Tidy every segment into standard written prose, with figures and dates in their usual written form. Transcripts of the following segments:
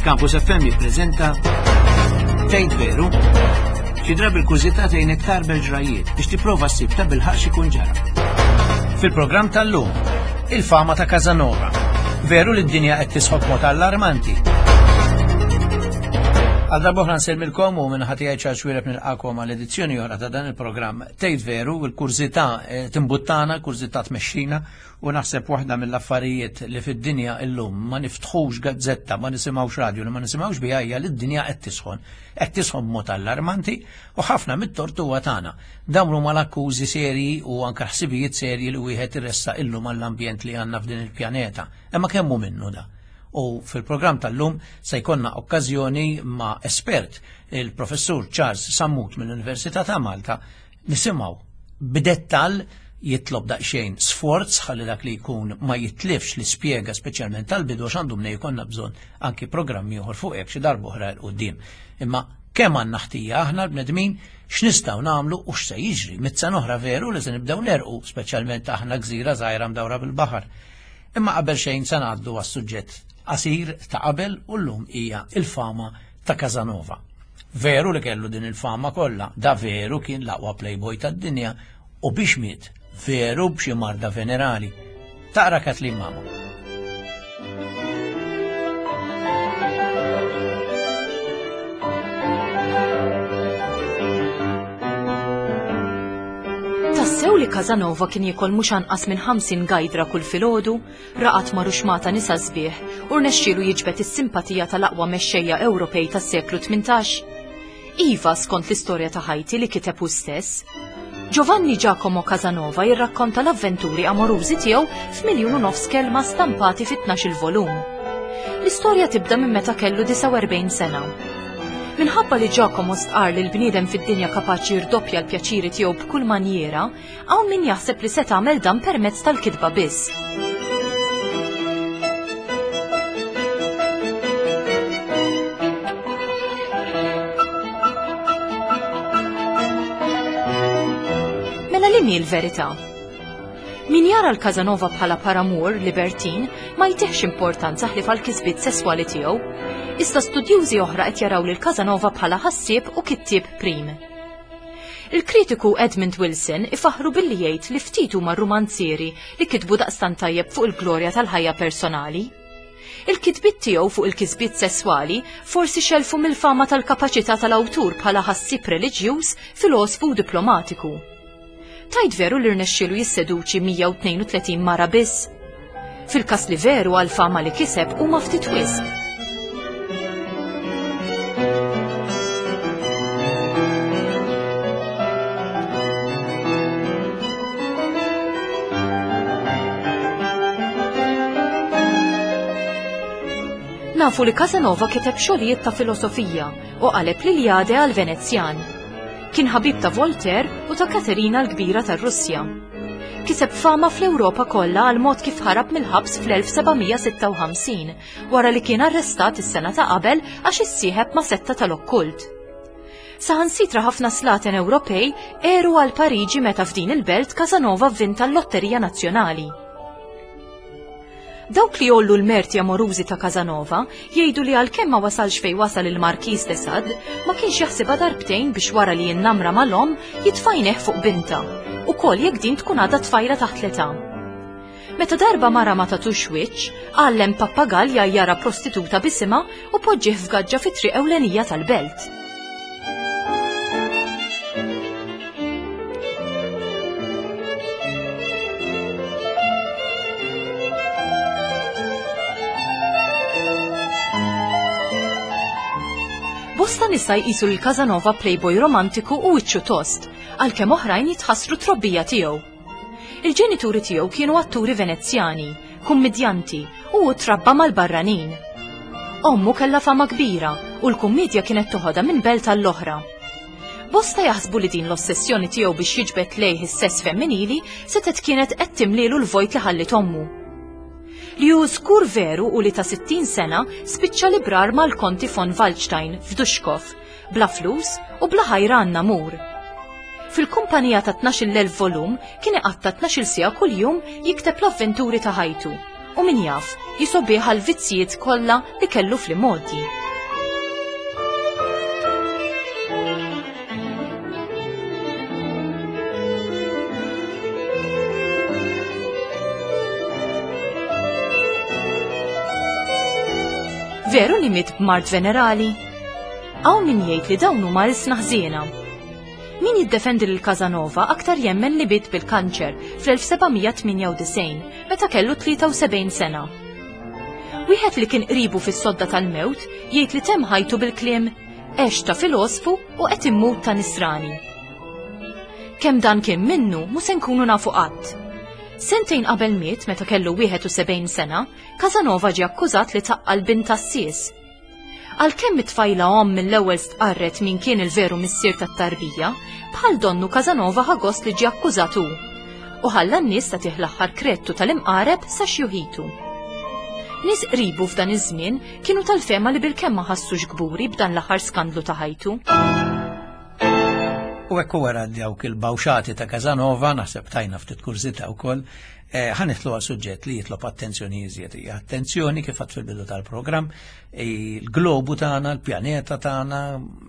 Campus FM jippreżenta Tgħid Veru? Xi drabi l-kurżità tgħinek tarbel ġrajiet biex tipprova ssib ta' bilħaq x'ikun ġara. Fil-programm tal-lum, il-fama ta' Casanova. Veru li d-dinja qed tisħob mod allarmanti. Għal darba oħra nsellmilkom u minn ħati għaj ċarċ wiereb nilqakom għal edizzjoni oħra ta' dan il-programm Tgħid Veru, il-kurżità eh, timbuttana, kurżità tmexxina U naħseb waħda mill-affarijiet li fid-dinja illum ma niftħux gazzetta, ma nisimgħux radju li ma nisimgħux biha hija li d-dinja qed tisħon. Qed tisħon b'mod allarmanti u ħafna mit-tort huwa tagħna. Dawn huma l-akkużi serji u anke ħsibijiet serji li wieħed iressaq illum għall-ambjent li għandna f'din il-pjaneta. Imma kemm hu minnu da? U fil-programm tal-lum se jkollna okkażjoni ma' espert, il-Professur Charles Sammut mill-Università ta' Malta, Nisimgħu b'dettall jitlob daqsxejn sforz ħalli dak li jkun ma jitlifx l-ispjega speċjalment tal-bidu għax għandu mnej jkollna bżonn anki programm ieħor fuq hekk xi darba oħra 'l quddiem. Imma kemm għandna ħtija aħna l-bnedmin x'nistgħu nagħmlu u x'se jiġri. Mit-sena oħra veru li se nibdew nerqu, speċjalment aħna gżira żgħira mdawra bil-baħar. Imma qabel xejn se ngħaddu għas-suġġett qasir ta' qabel u llum hija il-fama ta' Casanova. Veru li kellu din il-fama kollha, da veru kien l-aqwa playboy tad-dinja u biex miet, veru b'xi marda venerali. Taqra Kathleen Mamo. Tassew li Casanova kien jiekol mhux anqas minn 50 gajdra kull filgħodu? Raqad ma' ruxmata nisa sbieħ u rnexxielu jiġbed is-simpatija tal-aqwa mexxejja Ewropej tas-seklu 18? Iva, skont l-istorja ta' ħajti li kiteb hu stess. Giovanni Giacomo Casanova jirrakkonta l-avventuri amorużi tiegħu f'miljun u nofs kelma stampati fi 12-il volum. L-istorja tibda minn meta kellu 49 sena. Minħabba li Giacomo stqarr li l-bniedem fid-dinja kapaċi jirdoppja l-pjaċiri tiegħu b'kull manjiera, Hawn min jaħseb li se tagħmel dan permezz tal-kitba biss. Mela li mi l-verità? Min jara l-Casanova bħala paramur libertin ma jtihx importanza ħlief għal kisbiet sesswali tiegħu. Iżda studjużi oħra qed jaraw lil Casanova bħala ħassieb u kittieb prim. Il-kritiku Edmund Wilson ifaħħru billi jgħid li ftit huma r-rumanzieri li kitbu daqstant tajjeb fuq il-glorja tal-ħajja personali. Il-kitbiet tiegħu fuq il-kisbiet sesswali forsi xellfu mill-fama tal-kapaċità tal-awtur bħala ħassieb reliġjuż, filosfu u diplomatiku. Tgħid veru li rnexxielu jisseduċi 132 mara biss? Fil-każ li veru għall-fama li kiseb huma ftit wisq. Nafu li Casanova kiteb xogħlijiet ta' filosofija u qaleb l-Iliade għal Venezjan. Kien ħabib ta' Voltaire u ta' Katerina l-Kbira tar-Russja. Kiseb fama fl-Ewropa kollha għal mod kif ħarab mill-ħabs fl-1756 wara li kien arrestat is-sena ta' qabel għax issieħeb ma' setta tal-okkult. Saħansitra ħafna slaten Ewropej għeru għal Pariġi meta f'din il-belt Casanova vvinta l-Lotterija Nazzjonali. Dawk li jgħollu l-merti amorużi ta' Casanova jgħidu li għalkemm ma wasalx fejn wasal il-Markiż de Sade, ma kienx jaħsibha darbtejn biex wara li jinnamra mal-omm jitfa' għajnejh fuq bintha, ukoll jekk din tkun għadha tfajla taħt l-età. Meta darba mara ma tatux wiċċ, għallem pappagall jgħajjarha prostituta b'isimha u poġġih f'gaġġa fit-triq ewlenija tal-belt. Bosta nisa jqisu lil Casanova playboy romantiku u wiċċu tost, għalkemm oħrajn jitħassru trobbija tiegħu. Il-ġenituri tiegħu kienu atturi Venezjani, kummidjanti u hu trabba mal-barranin. Ommu kellha fama kbira u l-kummiedja kienet toħodha minn belt għall-oħra. Bosta jaħsbu li din l-ossessjoni tiegħu biex jiġbed lejh is-sess femminili setgħet kienet qed timlielu l-vojt li ħalliet ommu. Li hu żgur veru hu li ta' 60 sena spiċċa librar mal-Konti von Waldstein f'Duškov, bla flus u bla ħajra għan-namur. Fil-kumpanija ta' 12,000 volum kien iqatta' 12-il siegħa kuljum jikteb l-avventuri ta' ħajtu. U min jaf, jisobbih għall-vizzjiet kollha li kellu fl-imgħoddi. Veru li miet b'mard venerali? Hawn min jgħid li dawn huma ilsna ħżiena. Min jiddefendi lil Casanova aktar jemmen li miet bil-kanċer fl-1798 meta kellu 73 sena. Wieħed li kien qribu fis-sodda tal-mewt jgħid li temm ħajtu bil-kliem għex ta' filosfu u qed immut ta' nisrani. Kemm dan kien minnu mhu se nkunu nafu qatt. Sentejn qabel miet meta kellu 71 sena, Casanova ġie akkużat li taqqal bint għassies. Għalkemm it-tfajla omm mill-ewwel stqarret min kien il-veru missier tat-tarbija, bħal donnu Casanova ħa gost li ġie akkużat hu. U ħalla n-nies tagħtih l-aħħar kredtu tal-imqareb sa xjuħitu. Nies qribu f'dan iż-żmien kienu tal-fehma li bilkemm ma ħassux kburi b'dan l-aħħar skandlu ta' ħajtu. U hekk wara dawk il-bawxati ta' Casanova, naħseb tajna ftit kurżità wkoll, eh, ħa nidħlu għal suġġett li jitlob attenzjoni iżjed. Hija attenzjoni kif għadt fil-bidu tal-programm, il-globu tagħna, il-pjaneta tagħna,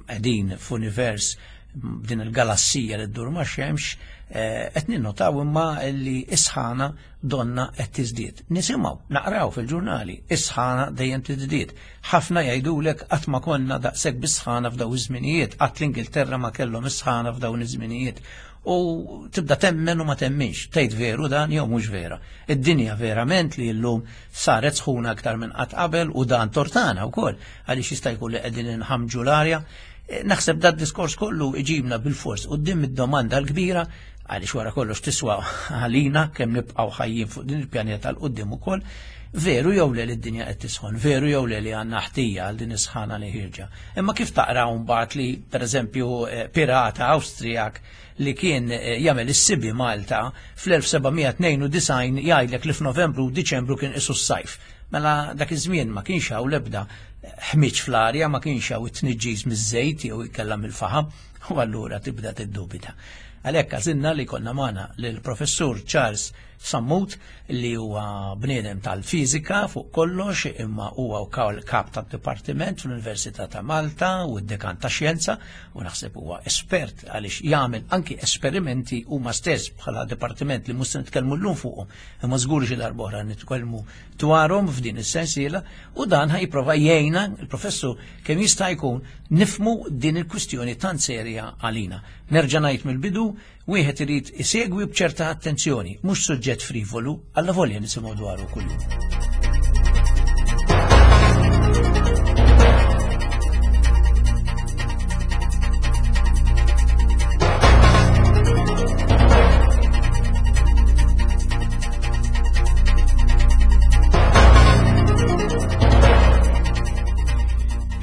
qegħdin f'univers din il-galassija li ddur ma' xemx, eh, qed ninnotaw imma li is-sħana donna qed tiżdied. Nisimgħu, naqraw fil-ġurnali, is-sħana dejjem tiżdied. Ħafna jgħidulek qatt ma konna daqshekk bis-sħana f'dawn iż-żminijiet, qatt l-Ingilterra ma kellhom is-sħana f'dawn iż-żminijiet. U tibda temmen u ma temminx, tgħid veru dan jew mhux vera. Id-dinja verament li llum saret sħuna aktar minn qatt qabel u dan tortana wkoll għaliex jista' jkun li qegħdin inħamġu l-arja. Eh, naħseb dat diskors kollu iġibna bil-fors quddiem id-domanda l-kbira għaliex wara kollox tiswa għalina kemm nibqgħu ħajjin fuq din il-pjaneta l quddiem ukoll, veru jew le li d-dinja qed tisħon, veru jew le li għandna ħtija għal din is-sħana li ħirġa. Imma kif taqra mbagħad li pereżempju eh, pirata Awstrijak li kien eh, jagħmel is-sibi Malta fl-1792 jgħidlek li f'Novembru u Diċembru kien isu s-sajf. Mela dak iż-żmien ma kienx hawn l-ebda ħmiġ fl-arja, ma kienx hawn it-tniġġis miż-żejt jew ikella mill-faħam, u allura tibda tiddubita. Għalhekk għażilna li konna magħna lill-Professur Charles Sammut li huwa bniedem tal-fiżika fuq kollox imma huwa wkoll kap tad-dipartiment fl-Università ta' Malta u d-dekan ta' xjenza u naħseb huwa espert għaliex jagħmel anki esperimenti huma stess bħala dipartiment li mhux se nitkellmu llum fuqhom imma żgur xi darba oħra nitkellmu dwarhom f'din is-sensiela u dan ħa jipprova jgħinna il-professur kemm jista' jkun nifmu din il-kwistjoni tant serja għalina. Nerġa' ngħid mill-bidu, wieħed irid isegwi b'ċerta attenzjoni, mhux suġġett frivolu, alla volja nisimgħu dwaru kuljum.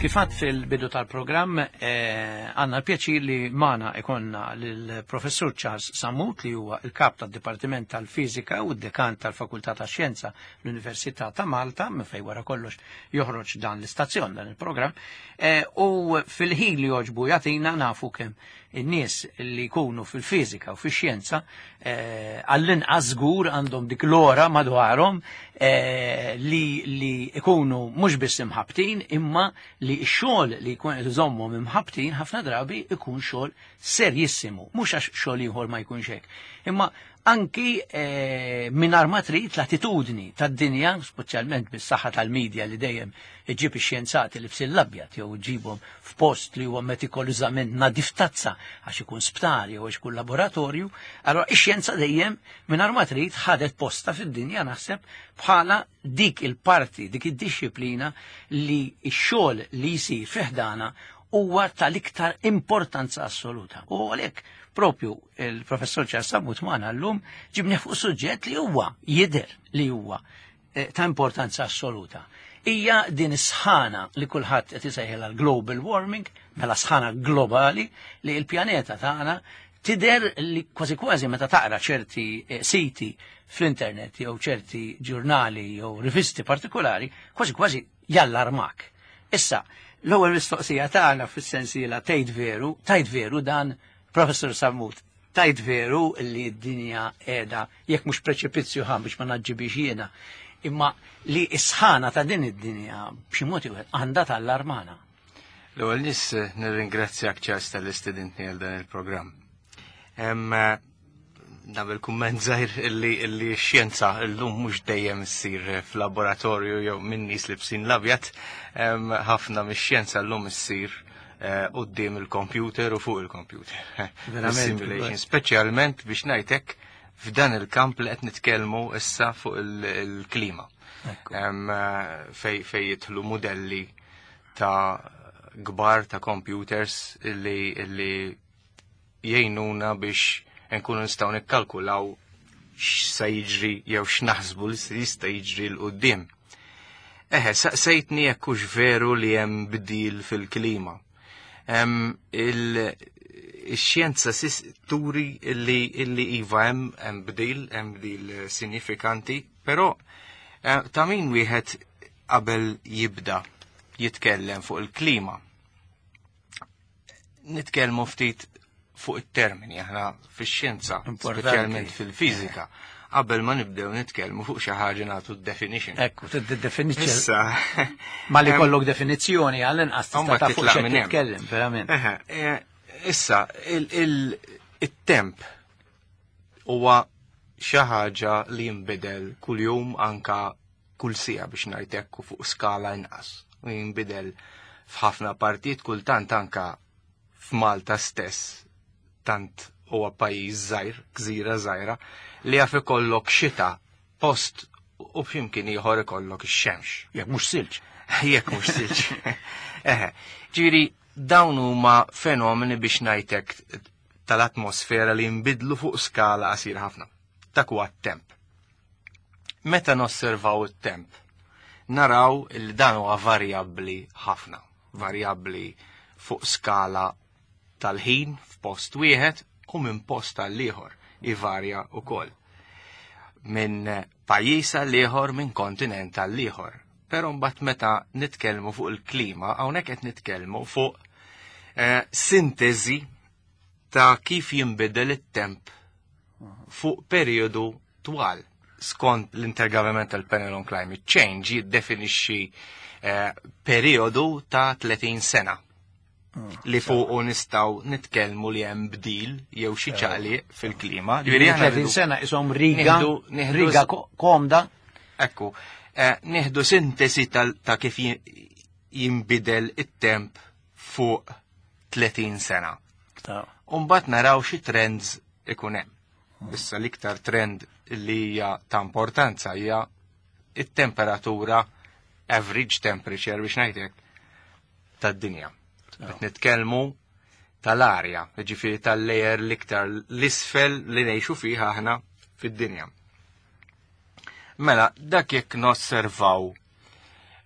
Kifat fil-bidu tal-programm eh, għanna l-pjaċir li mana ikonna l-professur Charles Sammut li huwa il-kap tad-Dipartiment tal-Fiżika u d-dekan tal-Fakultà ta' Xjenza l-Università ta' Malta, minn fej wara kollox joħroġ dan l-istazzjon dan il-programm, eh, u fil-ħin li joġbu jagħtina nafu kemm in-nies li jkunu fil-fiżika u fix-xjenza eh, għall-inqas żgur għandhom dik l-ora madwarhom eh, li li jkunu mhux biss imħabtin imma li x-xogħol li jkun qed iżommhom imħabtin ħafna drabi ikun xogħol serjissimu, mhux għax xogħol ieħor ma jkunx hekk. Imma anki eh, mingħajr ma trid l-attitudni tad-dinja, speċjalment bis-saħħa tal-medja li dejjem iġib ix-xjenzati li bsil l-abjad jew iġibhom f'post li huwa metikolużament nadif tazza għax ikun sptar jew għax ikun laboratorju, allora ix-xjenza dejjem mingħajr ma trid ħadet posta fid-dinja naħseb bħala dik il-parti, dik id-dixxiplina li x-xogħol li jsir fi ħdana huwa tal-iktar importanza assoluta. U għalhekk propju il-professor Charles Sammut magħna llum ġibni fuq suġġett li huwa jidher li huwa eh, ta' importanza assoluta. Hija din is-sħana li kulħadd qed isejħilha l-global warming, mela sħana globali li l-pjaneta tagħna tidher li kważi kważi meta taqra ċerti eh, siti fl-internet jew ċerti ġurnali jew rivisti partikolari, kważi kważi jallarmak. Issa, l-ewwel mistoqsija tagħna fis-sensiela tgħid veru, tgħid veru dan Professor Sammut. Tajt veru li d-dinja qiegħda jekk mhux preċipizzju ħa biex ma naġġibix jiena, imma li s-sħana ta' din id-dinja b'xi mod ieħor għandha tallarmana. L-ewwel nies nirringrazzjak Charles tal istedintni għal dan il-programm. Nagħmel kumment żgħir illi illi x-xjenza llum mhux dejjem issir f'laboratorju jew minn nies libsin l-abjad, ħafna mix-xjenza llum issir eh, quddiem il-computer u fuq il-computer. Simulation, speċjalment biex ngħidlek f'dan il-kamp li qed nitkellmu issa fuq il-klima. Eh, fej fej jidħlu modelli ta' kbar ta' computers illi illi jgħinuna biex nkunu nistgħu nikkalkulaw x'sa jiġri jew x'naħsbu li se jista' jiġri 'l quddiem. Eħe, saqsejtni jekk hux veru li hemm bdil fil-klima. Il-xjenza turi illi illi iva hemm hemm bdil, hemm bdil sinifikanti, però eh, ta' min wieħed qabel jibda jitkellem fuq il-klima nitkellmu ftit fuq it-termini aħna fix-xjenza, speċjalment fil-fiżika. Qabel ma nibdew nitkellmu fuq xi ħaġa nagħtu definition. Ekku, definition. Issa. Ma li kollok definizzjoni għall-inqas tista' taf fuq xi titkellem, verament. Eh, issa, il-temp huwa xi ħaġa li jinbidel kuljum anka kull siegħa biex ngħid hekk u fuq skala inqas. U jinbidel f'ħafna partijiet kultant anka f'Malta stess tant huwa pajjiż żgħir, gżira żgħira, li jaf ikollok xita post u b'ximkien ieħor ikollok ix-xemx. Jekk mhux silġ. Jekk mhux silġ. Eħe, ġifieri dawn huma fenomeni biex ngħidlek tal-atmosfera li jinbidlu fuq skala qasir ħafna. Dak huwa t-temp. Meta nosservaw it-temp, naraw li dan huwa varjabbli ħafna, varjabbli fuq skala tal-ħin f'post wieħed u minn post għal ieħor ivarja wkoll. Minn pajjiż għal ieħor, minn kontinent għal ieħor. Però mbagħad meta nitkellmu fuq il-klima, hawnhekk qed nitkellmu fuq eh, sintesi ta' kif jinbidel it-temp fuq periodu twal. Skont l-Intergovernmental Panel on Climate Change jiddefinixxi eh, periodu ta' 30 sena li fuqu nistgħu nitkellmu li hemm bdil jew xi ċaqliq fil-klima. Ġifieri aħna 30 sena ishom riga, riga komda. Ekku, eh, nieħdu sintesi ta' kif jinbidel it-temp fuq 30 sena. Umbat naraw xi trends ikun hemm. Issa l-iktar trend li hija ta' importanza hija it-temperatura average temperature biex ngħidlek tad-dinja. Qed nitkellmu tal-arja, ġifieri tal-layer l-iktar l-isfel li ngħixu fih aħna fid-dinja. Mela, dak jekk nosservaw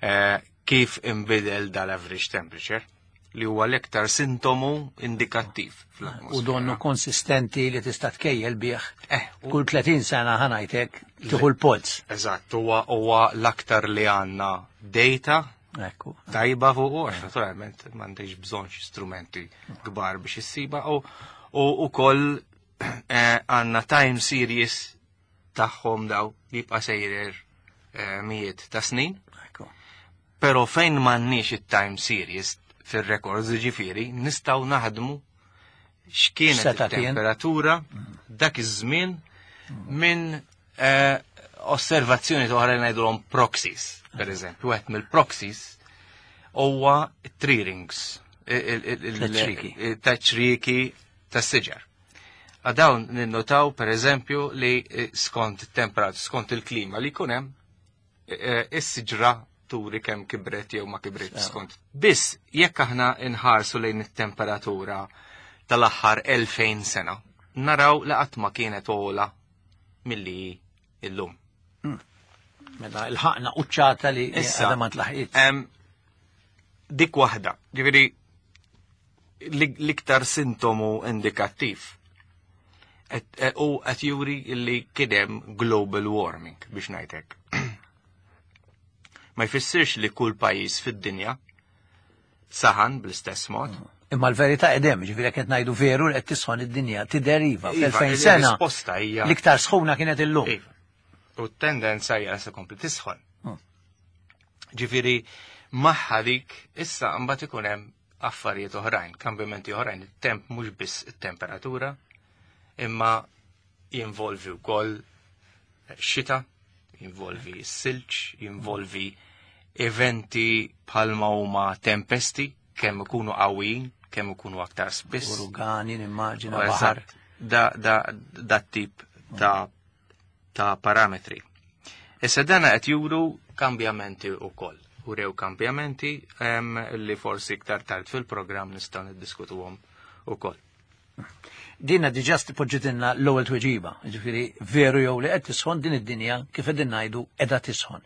eh, kif inbidel dal-average temperature li huwa l-iktar sintomu indikattiv fl-atmosfera. U donnu konsistenti li tista' tkejjel bih. Eh, kull 30 sena ħa ngħidlek tieħu l-polz. Eżatt, huwa huwa l-aktar li għandna data Ekku. tajba fuq għax naturalment m'għandix bżonn xi strumenti kbar biex issiba u u ukoll eh, għandna time series tagħhom daw li jibqa' sejjer eh, mijiet ta' snin. Pero fejn m'għandniex it-time series fir-records ġifieri, nistgħu naħdmu x'kienet it-temperatura dak iż-żmien minn eh, osservazzjoni oħra li ngħidulhom proxies, per eżempju, wieħed mill-proxies huwa tree rings, taċ-ċrieki tas-siġar. Għadawn ninnotaw per eżempju li eh, skont it-temperat, skont il-klima li jkun hemm, eh, is-siġra turi kemm kibret jew ma kibret skont. Biss jekk aħna nħarsu lejn it-temperatura tal-aħħar 2000 sena, naraw li qatt ma kienet ogħla milli illum. Mela il-ħaqna quċċata li għadha ma tlaħqit. Dik waħda, ġifieri l-iktar sintomu indikattiv e, u qed juri li kien hemm global warming biex ngħidlek. Ma jfissirx li kull pajjiż fid-dinja saħan bl-istess mod, mm. Imma l-verità edem, ġifieri qed ngħidu veru li qed tisħon id-dinja tideriva Iva, fl-2000 sena. Il-risposta hija L-iktar sħuna kienet illum. Iva. U t-tendenza hija se kompli tisħon. Ġifieri magħha dik issa mbagħad ikun hemm affarijiet oħrajn, kambjamenti oħrajn, it-temp mhux biss it-temperatura, imma jinvolvi wkoll xita, jinvolvi s-silġ, jinvolvi eventi bħalma huma tempesti, kemm ikunu qawwijin, kemm ikunu aktar spiss. Urugani, nimmaġina, U baħar. eżatt, Da, da, da tip ta' ta' parametri. Issa dana qed juru kambjamenti wkoll. Urew kambjamenti li forsi iktar tard fil-programm nistgħu niddiskutuhom ukoll. Dinna diġà poġġitilna l-ewwel tweġiba, ġifieri veru jew li qed tisħon din id-dinja kif qegħdin ngħidu qiegħda tisħon.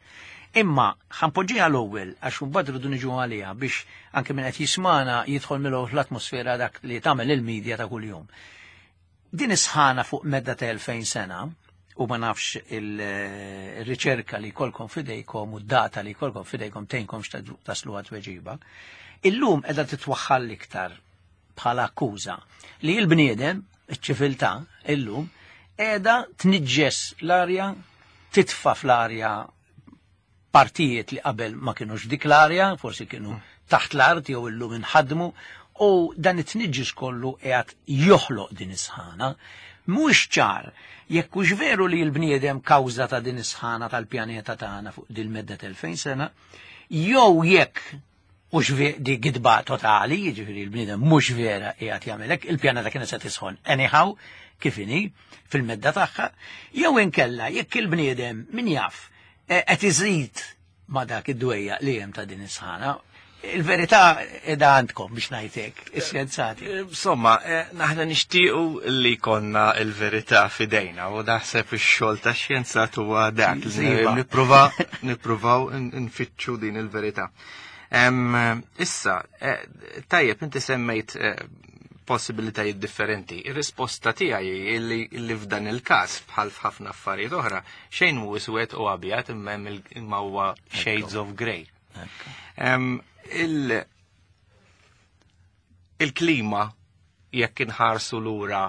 Imma ħanpoġġiha l-ewwel għax imbagħad rridu niġu għaliha biex anke min qed jismana jidħol mill fl-atmosfera dak li tagħmel il-medja ta' kuljum. Din is-sħana fuq medda ta' 2000 sena u ma nafx il-riċerka li jkollkom fidejkom u d-data li jkollkom fidejkom tgħinkom taslu għat tweġiba. Illum qiegħda titwaħħal iktar bħala akkuża li l-bniedem, iċ-ċiviltà, illum, qiegħda tniġġes l-arja, titfa fl-arja partijiet li qabel ma kienux dik l-arja, forsi kienu taħt l-art jew illum inħadmu, u dan it-tniġġis kollu qiegħed joħloq din is-sħana. Mhux ċar jekk hux veru li l-bniedem kawża ta' din is-sħana tal-pjaneta tagħna fuq din medda tal-2000 sena, jew jekk hux di gidba totali, jiġifieri l-bniedem mhux vera qiegħed jagħmel hekk, il-pjaneta kienet se tisħon anyhow kif inhi fil-medda tagħha, jew inkella jekk il-bniedem min jaf qed iżid ma dak id-dwejja li hemm ta' din is-sħana. Il-verità qiegħda għandkom biex ngħidlek, ix-xjenzati. Insomma, naħna nixtiequ li konna il-verità fidejna u naħseb ix-xogħol tax-xjenzat huwa dak li Iva. nippruvaw nfittxu din il-verità. Issa, tajjeb inti semmejt possibilitajiet differenti. Ir-risposta tiegħi illi f'dan il-każ bħal f'ħafna affarijiet oħra xejn mhu iswed u abjad imma hemm imma huwa shades of grey. Il-klima jekk inħarsu lura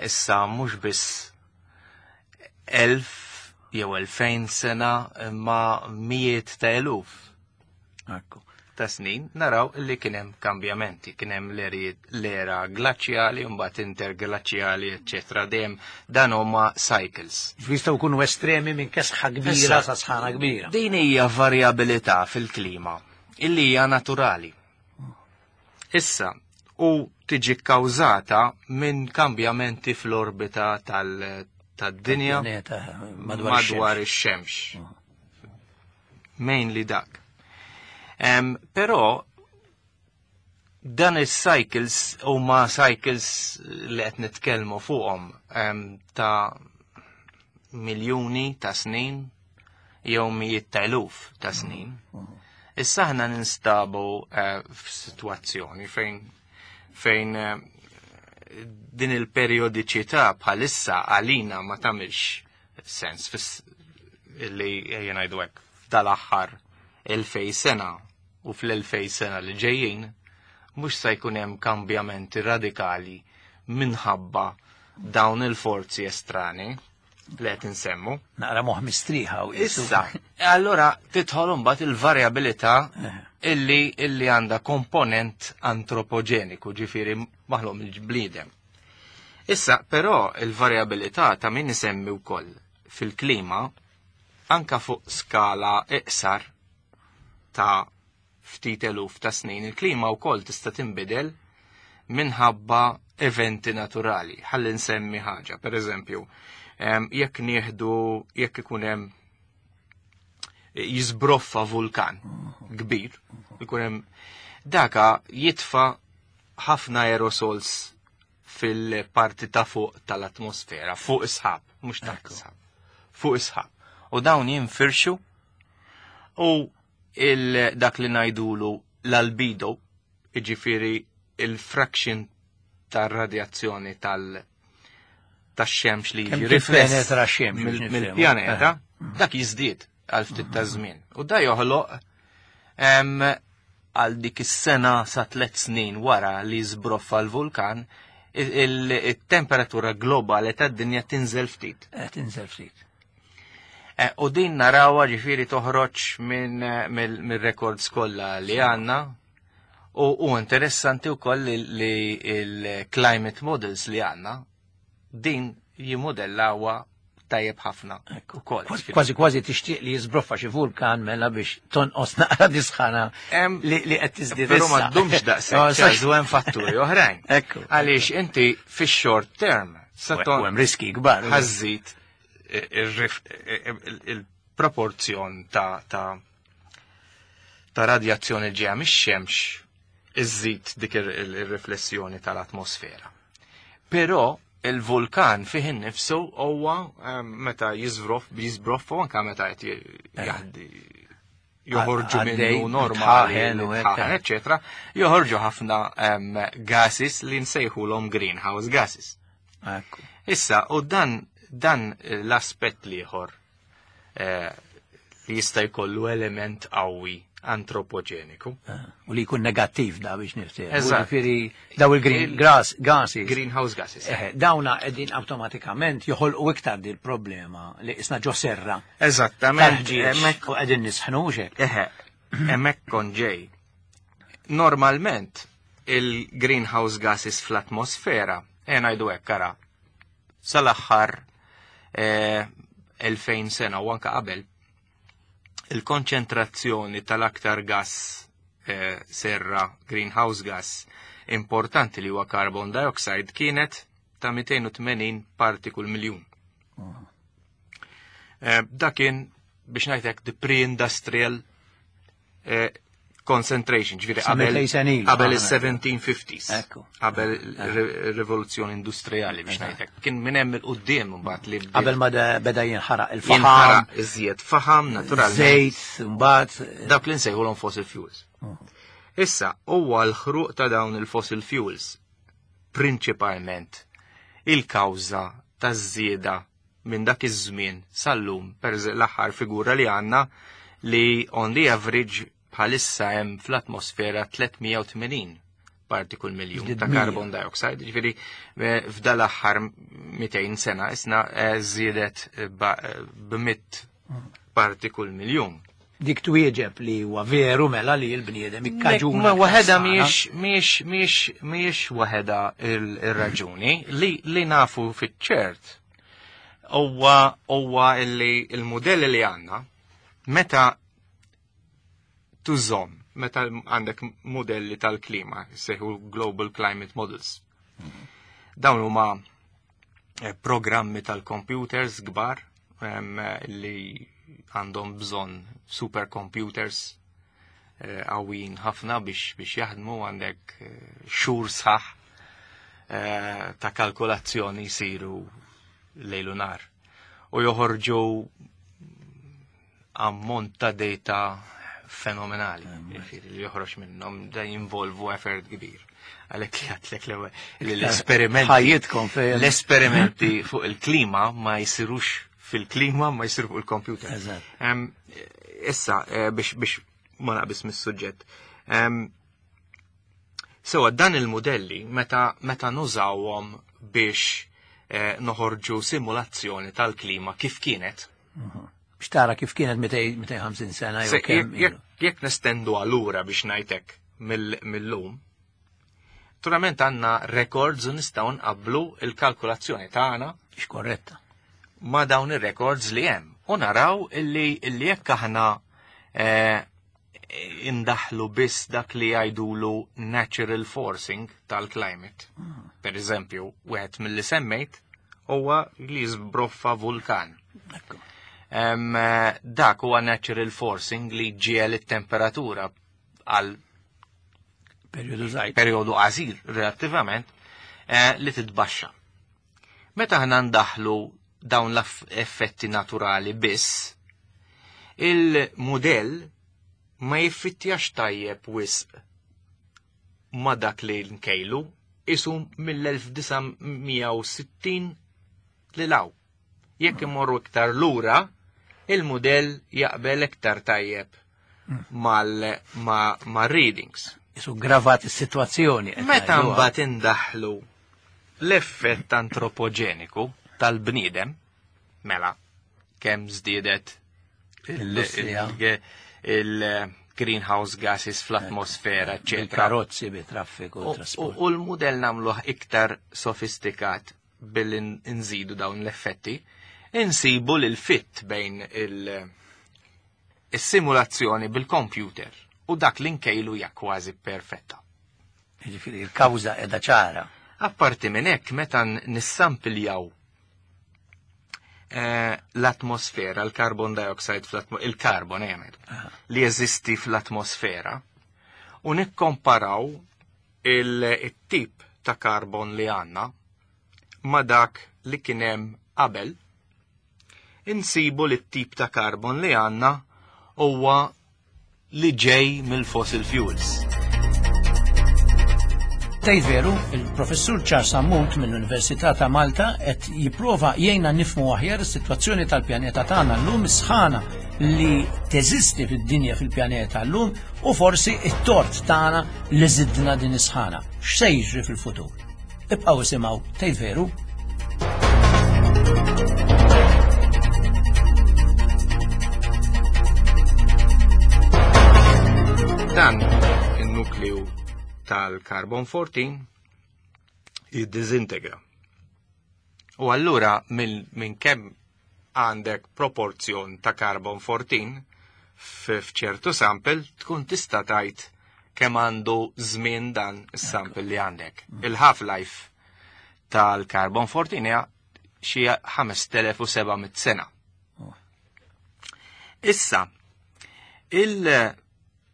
issa mhux biss 1000 jew 2000 sena imma mijiet ta' eluf ta' snin naraw li kien hemm kambjamenti, kien hemm l-era glaċjali, mbagħad interglaċjali, eċċetera. Dejjem dan huma cycles. Jistgħu jkunu estremi minn kesħa kbira Issa, sa sħana kbira. Din hija varjabilità fil-klima illi hija naturali. Issa, u tiġi kkawżata minn kambjamenti fl-orbita tad-dinja Tal-pjaneta, madwar madwar ix-xemx. ix-xemx. Mainly dak. Però dan is-cycles huma cycles li qed nitkellmu fuqhom ta' miljuni ta' snin jew mijiet ta' eluf ta' snin. Issa aħna ninstabu f'sitwazzjoni fejn din il-periodiċità bħalissa għalina ma tagħmilx sens illi ejja ngħidu hekk f'dal-aħħar 2000 sena u fl-2000 sena li ġejjin mhux se jkun hemm kambjamenti radikali minħabba dawn il-forzi estrani li qed insemmu. Naqra moħ mistrieħa u qisu. Issa, allora tidħol imbagħad il-varjabilità illi għandha komponent antropoġeniku, ġifieri maħluq mill-bniedem. Issa, però il-varjabilità ta' min isemmi wkoll fil-klima anka fuq skala iqsar ta' ftit eluf ta' snin, il-klima wkoll tista' tinbidel minħabba eventi naturali. Ħalli nsemmi ħaġa, per eżempju, jekk nieħdu, jekk ikun hemm jiżbroffa vulkan kbir, ikun hemm daka jitfa' ħafna aerosols fil-parti ta' fuq tal-atmosfera, fuq is-sħab, mhux taħt is-sħab, fuq is-sħab. U dawn jinfirxu u dak li ngħidulu l-albedo, jiġifieri il-fraction tar-radjazzjoni tax-xemx li Kemm jiġi rifless tippenetra x-xemx, biex nifhmu. mill-pjaneta, dak jiżdied għal ftit ta' żmien. U da joħloq għal dik is-sena sa 3 snin wara li żbroffa l-vulkan, il-temperatura globali tad-dinja tinżel ftit. Tinżel ftit. U din narawha ġifieri toħroġ minn mir-records kollha li għandna. U interessanti wkoll li il-climate models li għandna din jimodellawha tajjeb ħafna ukoll. Kważi kważi tixtieq li jiżbroffa xi vulkan mela biex tonqos naqra disħana li qed tiżdied. Però ma ddumx daqshekk, ċażu hemm fatturi oħrajn. Ekku. Għaliex inti fix-short term sa hemm riski kbar. Ħażżid il-proporzjon ta' radjazzjoni ġeja mix-xemx iżżid dik ir-riflessjoni tal-atmosfera. Però il-vulkan fih innifsu huwa meta jiżbroff, jiżbroff u anke meta qed jaħdi joħorġu minnu normali, eċetera, joħorġu ħafna gases li nsejħulhom greenhouse gases. Issa, u dan l-aspett l-ieħor li jista' jkollu element qawwi antropoġeniku. U li jkun negattiv da biex niftehmu. Eżatt. Ġifieri daw il-green grass gases. Greenhouse gases. Dawna qegħdin awtomatikament joħolqu iktar dil problema li isna ġo serra. Eżattament. Tal-ħġieġ. U qegħdin nisħnu hekk. Eħe, hemmhekk kon ġej. Normalment il-greenhouse gases fl-atmosfera, ngħidu hekk ara, sal-aħħar 2000 sena u anke qabel, il-konċentrazzjoni tal-aktar gas serra, greenhouse gas, importanti li huwa carbon dioxide kienet ta' 280 parti kull miljun. Dak kien, biex ngħidlek, the pre-industrial concentration, ġifieri Sa mitej sena ilu. qabel is-1750s. Ekku. Qabel ir-rivoluzzjoni industrijali biex ngħidlek. Kien minn hemm il-qudiem mbagħad li bdiet Qabel ma beda jinħaraq il-faħam. Jinħaraq iżjed faħam, naturalment. Żejt, mbagħad. Dak li nsejħulhom fossil fuels. Issa, huwa l-ħruq ta' dawn il-fossil fuels prinċipalment il-kawża taż-żieda minn dak iż-żmien sal-lum, per l-aħħar figura li għandna li on the average bħalissa hemm fl-atmosfera 380 parti kull miljun Żdied ta' mija. carbon dioxide, ġifieri f'dal aħħar 200 sena isna żiedet b'mitt parti kull miljun. Dik twieġeb li huwa veru mela li l-bniedem ikkaġuna. Ma waħedha ħsara. mhijiex waħedha ir-raġuni li nafu fiċ-ċert huwa li l-mudelli li għandna meta tużom, meta għandek modelli tal-klima, sejħu Global Climate Models. Dawn huma programmi tal-computers kbar li għandhom bżonn supercomputers qawwijin ħafna biex jaħdmu, għandek xhur sħaħ ta' kalkolazzjoni jsiru lejlu nar. U joħorġu ammont ta' data fenomenali, ġifieri li joħroġ minnhom da jinvolvu effort kbir. Għalhekk li għadtlek l-ewwel li l-esperimenti Ħajjitkom fejn. L-esperimenti fuq il-klima ma jsirux fil-klima, ma jsiru fuq il-computer. Issa, biex ma naqbis mis-suġġett. Sewa dan il-modelli meta nużawhom biex noħorġu simulazzjoni tal-klima kif kienet. Biex tara kif kienet 250 sena jew kemm ilu. Jekk nestendu għalura biex ngħidlek mill-lum, naturalment għandna records u nistgħu nqabblu il-kalkulazzjoni tagħna X'korretta. ma' dawn ir-records li hemm. U naraw illi jekk aħna indaħlu biss dak li jgħidulu natural forcing tal-climate. Per eżempju, wieħed mill-li semmejt huwa li jiżbroffa vulkan. Dak huwa natural forcing li ġiel it-temperatura għal periodu żgħir. Periodu qasir relattivament li titbaxxa. Meta aħna ndaħlu dawn l-effetti naturali biss, il-mudell ma jiffittjax tajjeb wisq ma dak li nkejlu isu mill-1960 li law. Jekk imorru iktar lura, il-mudell jaqbel iktar tajjeb mal-readings. Isu gravat is-sitwazzjoni. Meta mbagħad indaħlu l-effett antropoġeniku tal-bniedem, mela kemm żdiedet il-greenhouse gases fl-atmosfera, eccetera. Karozzi bi traffiku, trasport. U l-mudell nagħmluh iktar sofistikat billi nżidu dawn l-effetti, insibu li l-fit bejn il-simulazzjoni bil-computer u dak li nkejlu hija kważi perfetta. Jiġifieri il-kawża qiegħda ċara. Apparti minn hekk meta nissampiljaw eh, l-atmosfera, l-carbon dioxide fl-atmosfera, il-carbon eh, li jeżisti fl-atmosfera, u nikkomparaw il-tip ta' karbon li għandna ma' dak li kien hemm qabel, insibu li t-tip ta' karbon li għandna huwa li ġej mill-fossil fuels. Tgħid veru, il-Professur Charles Sammut mill-Università ta' Malta qed jipprova jgħinna nifhmu aħjar is-sitwazzjoni tal-pjaneta tagħna llum is-sħana li teżisti fid-dinja fil-pjaneta llum u forsi it-tort tagħna li żidna din is-sħana. X'se jiġri fil-futur? Ibqgħu isimgħu tgħid veru. Dan in-nukleu tal-carbon 14 jiddiżintegra. U allura minn kemm għandek proporzjon ta' carbon 14 f'ċertu sample tkun tista' tgħid kemm għandu żmien dan is-sample li għandek. Il-half-life tal-carbon 14 hija xi 5700 sena. Oh. Issa,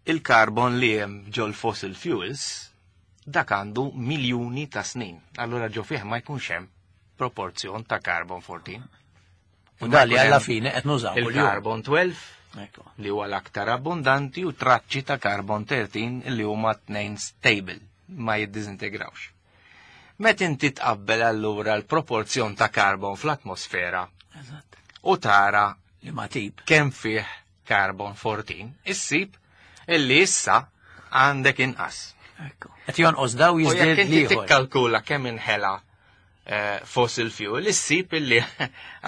il-carbon li hemm ġol fossil fuels dak għandu miljuni ta' snin. Allura ġo fih ma jkunx hemm proporzjon ta' carbon 14. U dan li alla fine qed nużaw Il-carbon 12 li huwa l-aktar abbundanti u traċċi ta' carbon 13 li huma tnejn stable ma jiddiżintegrawx. Meta inti tqabbel allura l-proporzjon ta' carbon fl-atmosfera u tara li ma tip kemm fih carbon 14, issib illi issa għandek inqas. Qed jonqos daw jiżdied li. Tikkalkula kemm inħela eh, fossil fuel, issib illi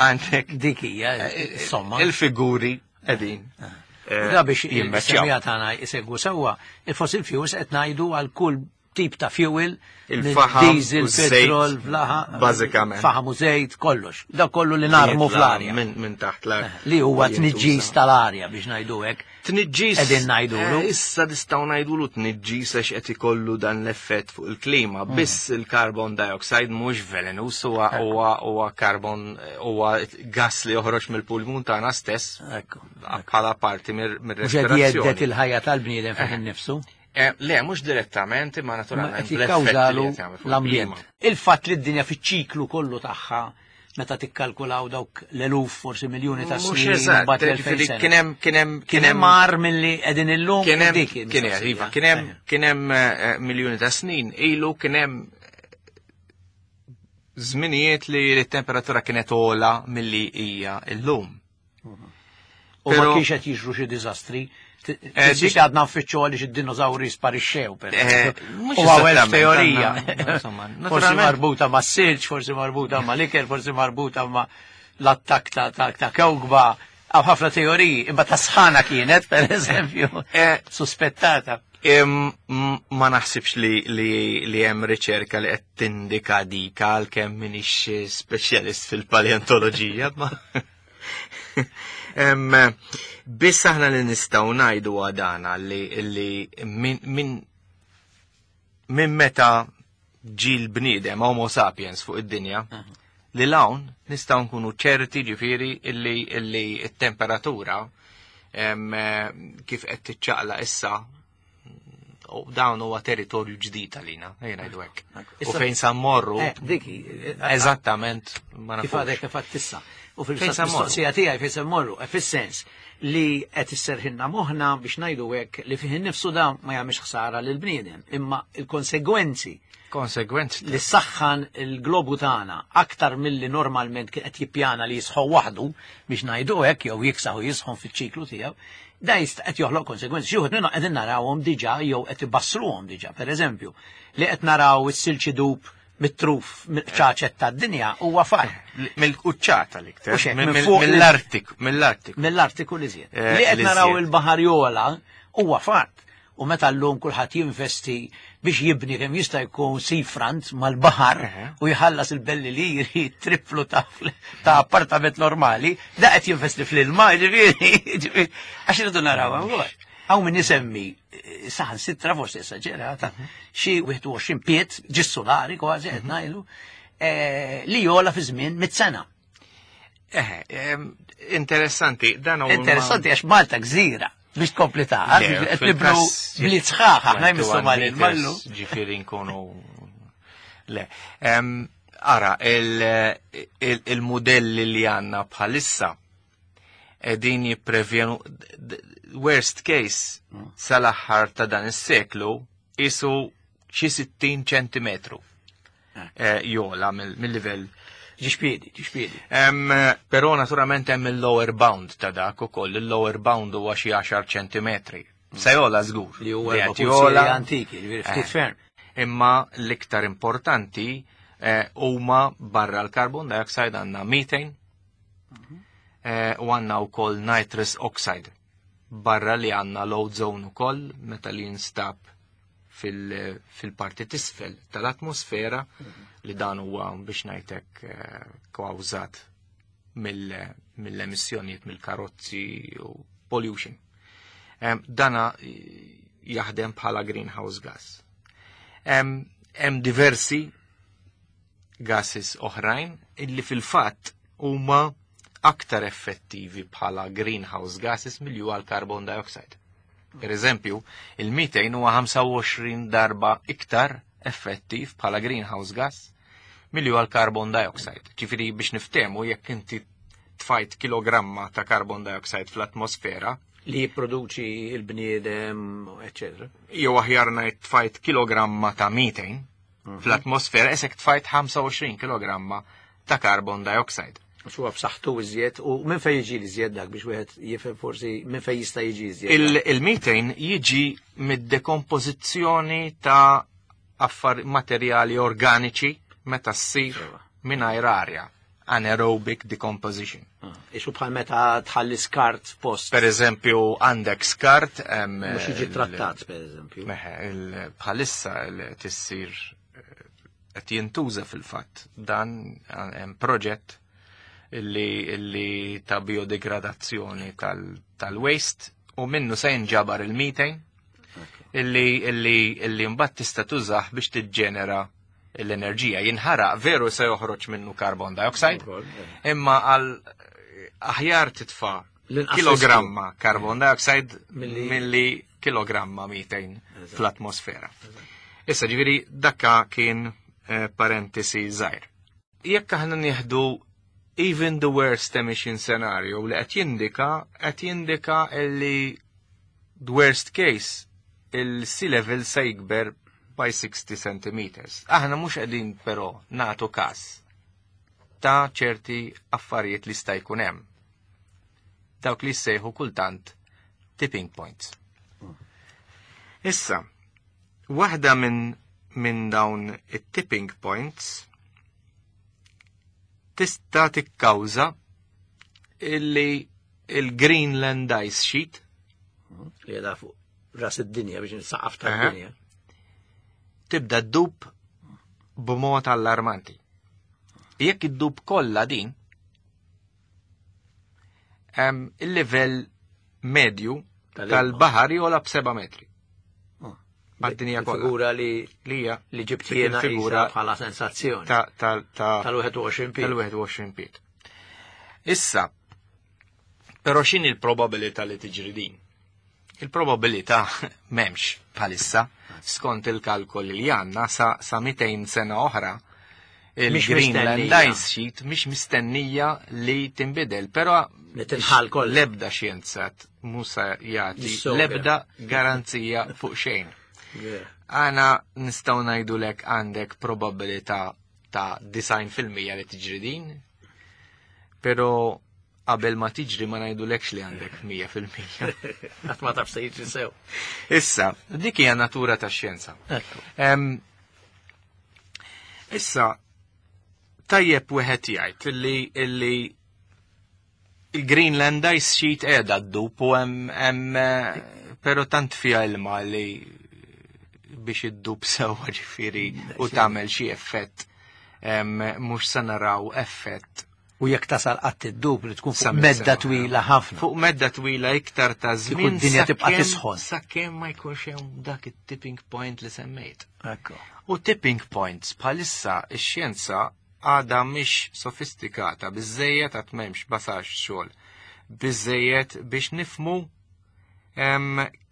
għandek dik hija eh, eh, somma. Il-figuri qegħdin. Da biex il-semija tagħna jsegwu sewwa, il-fossil fuels qed ngħidu għal kull tip ta' fuel, il-faħam, diesel, petrol, flaħa, bażikament. Faħam u żejt, kollox. Da kollu li narmu fl-arja. Minn taħt l-art. Li huwa tniġġis tal-arja biex ngħidu hekk. Tniġġis. Qegħdin ngħidulu. Eh, issa nistgħu ngħidulu tniġġis għax qed ikollu dan l-effett fuq il-klima. Mm. Biss il-carbon dioxide mhux velenus huwa huwa huwa carbon huwa gas li joħroġ mill-pulmun tagħna stess. Bħala parti mir-respirazzjoni. Mhux il-ħajja tal-bniedem fih eh. innifsu. Eh, le, mhux direttament, imma naturalment. Qed jikkawżalu l-ambjent. Il-fatt li d-dinja fiċ-ċiklu kollu tagħha meta tikkalkulaw dawk l-eluf forsi miljuni ta' snin. Mhux kien hemm kien hemm kien hemm mar milli qegħdin illum kien hemm kien hemm iva, kien hemm kien hemm eh, miljuni ta' snin ilu kien hemm żminijiet li t-temperatura kienet ola milli hija llum. U ma kienx qed jiġru xi diżastri. Eh, dik għadna nfittxu għaliex id-dinożawri sparixxew, per eh, U għawel teorija. Forsi marbuta ma' silġ, forsi marbuta ma' liker, forsi marbuta ma' l-attak ta' kewkba. Għaw ħafna teoriji, imma ta' sħana kienet, per eżempju, eh, suspettata. Ma naħsibx li hemm riċerka li qed tindika dik għalkemm minix speċjalist fil-paleontoloġija, ma Biss aħna li nistgħu ngħidu għadana li, li minn min, min meta ġi l-bniedem Homo sapiens fuq id-dinja, li l-hawn nistgħu nkunu ċerti ġifieri illi illi t-temperatura kif qed tiċċaqla issa u dawn huwa territorju ġdid għalina, ejja ngħidu hekk. U fejn sa mmorru. Eh, dik eh, eżattament ma nafux. Kif għadek kif tissa. U fil-fatt mistoqsija tiegħi fejn se mmorru, eh, fis-sens li qed isserħilna moħħna biex ngħidu hekk li fih innifsu da ma jagħmilx ħsara lil bniedem, imma il-konsegwenzi konsegwenzi li saħħan il-globu tagħna aktar milli normalment kien qed jippjana li jisħu waħdu biex ngħidu hekk jew jiksaħu jisħon fiċ-ċiklu tiegħu, da jista' qed joħloq konsegwenzi. Xi wħud minnhom qegħdin narawhom diġà jew qed ibassruhom diġà. Pereżempju, li qed naraw is-silġ idub mit-truf ċaċet tad-dinja huwa fatt. Mill-quċċata l-iktar. Mill-Artiku. Mill-Artiku. Mill-Artiku li żjed. Eh, li qed naraw il-baħar jola huwa fatt. U meta llum kulħadd jinvesti biex jibni kemm jista' jkun seafront mal-baħar u jħallas il-belli liri triplu ta' appartament normali, da qed jinvesti fl-ilma, ġifieri, għax irridu naraw hawn. Hawn min isemmi eh, saħan sitra forsi esaġerata, xi 21 piet ġis-solari kważi qed ngħidu eh, li jola fi żmien mit-sena. Eh, interessanti, dan huwa. Interessanti għax Malta gżira biex tkompli ta' qed nibnu bliet sħaħ aħna jmissu mal-mallu. Ġifieri nkunu Le. Ara, il-modelli li għanna bħalissa edin jipprevjenu worst case mm. sal-aħħar ta' dan is-seklu isu xi 60 ċentimetru eh. eh, jola mill-livell. Ġiġpiedi, ġiġpiedi. Però naturalment hemm il-lower bound ta' dak ukoll, il-lower bound huwa xi 10 ċentimetri. Se jola żgur. Li huwa jola antiki, ġifieri ftit eh. ferm. Imma l-iktar importanti huma barra l-carbon dioxide għandna methane, Eh, u għanna u koll nitrous oxide. Barra li għanna l-ozone u koll meta li jinstab fil-parti tisfel tal-atmosfera li dan huwa biex ngħidlek eh, kawżat mill-emissjonijiet mill-karozzi u pollution. Dana jaħdem bħala greenhouse gas. Hemm diversi gases oħrajn illi fil-fatt huma aktar effettivi bħala greenhouse gases milli huwa l-carbon dioxide. Per eżempju, il-methane huwa 25 darba iktar effettiv bħala greenhouse gas milli huwa l-carbon dioxide. Ġifieri biex niftehmu jekk inti tfajt kilogramma ta' carbon dioxide fl-atmosfera, li jipproduċi il-bniedem, eccetera. Jew aħjar ngħid tfajt kilogramma ta' methane, Mhm. Fl-atmosfera isek tfajt 25 kg ta' carbon dioxide. Xu b'saħħtu iżjed u minn fejn jiġi l-iżjed dak biex wieħed jifhem forsi minn fejn jista' jiġi iżjed. Il-methane jiġi mid-dekompożizzjoni ta' affar materjali organiċi meta ssir mingħajr arja anaerobic decomposition. Ah, Ixu bħal meta tħalli skart post. Per eżempju, għandek skart. Mux jiġi trattat, per eżempju. Meħe, bħalissa tissir eh, qed jintuża fil-fatt dan hemm proġett illi ta' biodegradazzjoni tal-waste u minnu se jinġabar il-methane illi illi illi mbagħad tista' tużah biex tiġġenera l-enerġija. Jinħaraq veru se joħroġ minnu carbon dioxide, eh. imma għal aħjar titfa' kilogramma carbon dioxide milli kilogramma methane fl-atmosfera. Issa ġifieri dakka kien eh, parentesi żgħir. Jekk aħna nieħdu even the worst emission scenario li qed jindika qed jindika li the worst case il-sea level se jikber by 60 centimeters. Aħna mhux qegħdin però nagħtu każ ta' ċerti affarijiet li sta jkun hemm. Dawk li jsejħu kultant tipping points. Issa, waħda minn min dawn it-tipping points tista' tikkawża illi il-Greenland Ice Sheet li qiegħda fuq ras id-dinja biex nisaqaf tad-dinja. Tibda ddub b'mod allarmanti. Jekk iddub kollha din, il-livell medju tal-baħar jola b'seba' metri. Oh. Mad-dinja kollha. Figura li li hija li ġibt jiena figura bħala sensazzjoni. Tal-21 piet. Tal-21 piet. Issa, però x'inhi l-probabilità li tiġri din? Il-probabilità m'hemmx bħalissa skont il-kalkoli li għandna sa, sa 200 sena oħra. Il-Greenland mistennija. Ice Sheet mhix mistennija li tinbidel, però Li tinħall kollha. L-ebda xjenzat musa jagħti Jissogra. l-ebda garanzija fuq xejn. Għana nistgħu ngħidulek għandek probabilità ta' 90% li tiġri din, però qabel ma tiġri ma ngħidulekx li għandek 100%. Qatt ma taf se jiġri sew. Issa, dik hija natura tax-xjenza. Ekku. Issa, tajjeb wieħed jgħid illi illi il-Greenland Ice Sheet qiegħda ddub u hemm hemm però tant fiha ilma li biex iddub sewwa ġifieri u tagħmel xi effett mhux se naraw effett U jekk tasal qatt iddub li tkun fuq sa medda sena. twila ħafna. Fuq medda twila iktar ta' żmien d-dinja tibqa' sakemm- tisħon. Sakemm ma jkunx hemm dak it-tipping point li semmejt. Ekku. U tipping points bħalissa ix-xjenza għadha mhix sofistikata biżejjed għad m'hemmx basax xogħol biżejjed biex nifmu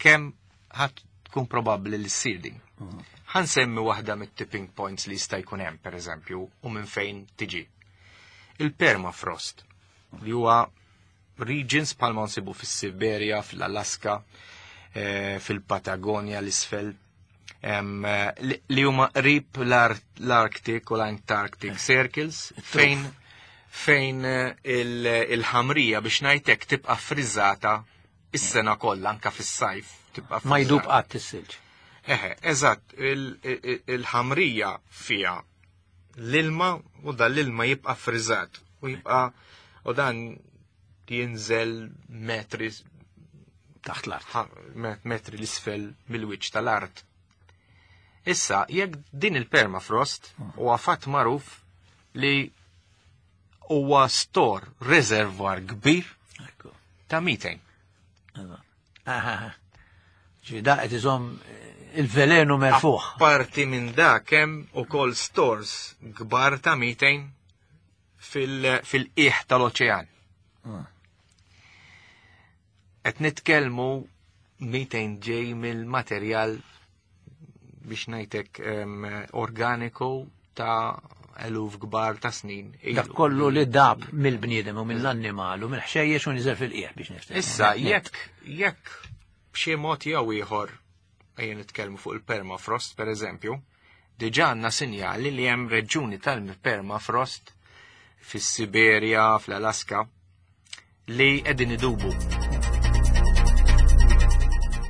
kemm ħadd tkun probabbli li ssir din. Ħansemmi waħda mit-tipping points li jista' jkun hemm pereżempju u minn fejn tiġi. Il-permafrost li huwa regions bħalma nsibu fis-Siberja, fl-Alaska, fil-Patagonia l-isfel, li huma qrib l-Arctic u l-Antarctic Circles fejn fejn il-ħamrija biex ngħidlek tibqa' frizzata is-sena kollha anka fis-sajf tibqa' Ma jdub frizzata. qatt is-silġ. Eħe, eżatt, il-ħamrija fija l-ilma u dan l-ilma jibqa' frizzat u jibqa' u dan jinżel metri Taħt l-art. metri l-isfel mill-wiċċ tal-art. Issa, jekk din il-permafrost huwa fatt magħruf li huwa stor reservoir kbir Ekku. ta' methane. Aha. Ġi da qed iżomm il-velenu merfuħ. Parti minn dak hemm ukoll stores kbar ta' methane fil-qiegħ tal-oċean. Qed nitkellmu methane ġej mill-materjal biex ngħidlek organiku ta' eluf kbar ta' snin. ilu. Dak kollu li dab mill-bniedem u mill-annimal u mill-ħxejjex u niżel fil-qiegħ biex niftehmu. Issa, jekk b'xi mod jew ieħor ejja nitkellmu fuq il-permafrost pereżempju, diġà għandna sinjali li hemm reġjuni tal-permafrost fis-Siberja, fl-Alaska, li qegħdin idubu.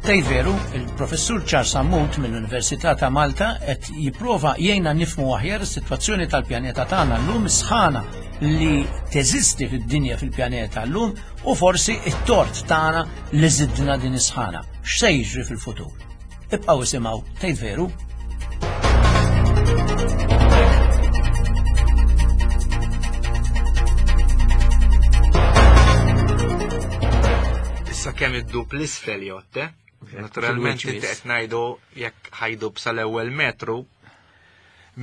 Tej veru, il-professur Charles Sammut mill-Università ta' Malta qed jipprova jgħinna nifhmu aħjar is-sitwazzjoni tal-pjaneta tagħna llum, is-sħana li teżisti fid-dinja fil-pjaneta llum u forsi it-tort tagħna li żidna din is-sħana. X'se jiġri fil-futur? Ibqgħu isimgħu Tgħid Veru. Issa kemm iddub l-isfel jotte, naturalment Fil-wiċċ inti biss. qed ngħidu jekk ħajdub sal-ewwel metru